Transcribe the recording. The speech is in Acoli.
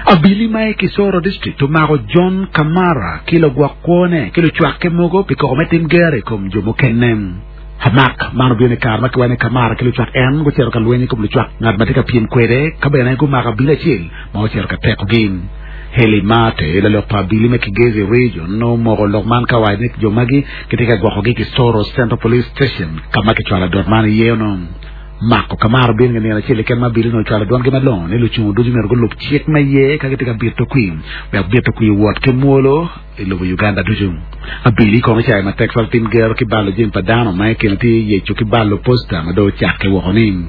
Abili ma i Kisoro District omako John Kamara ki lagwok kwone ki lucwakke mogo pi koko me tim gero i kom jo mukene. Amak man obino i kare ma kiwaco ni Kamara ki lucwak en gucito ka lweny i kom lucwak ngat ma tye ka pyem kwede ka bene gumako abili acel ma ocito ka tekogi. Heli Mate, lalok pa abili me Kigezi Region omoko lok man ka owaco ni jo magi gitye ka gwokogi i Kisoro Central Police Station ka ma kicwalo adot man iye onongo. Mako Kamara obino i nge nino acel keken ma abili onongo ocwalo dwangi malongo ni lucungu ducu myero gulub cik me ye ka gitye ka bito kwir wek bito kwir owot ki mwolo i lobo Uganda ducu. Abili kono ocayo matek cwalo tim gero ki balo jami pa dano ma i kine tye yeco ki balo posta ma dong ocakke woko ni.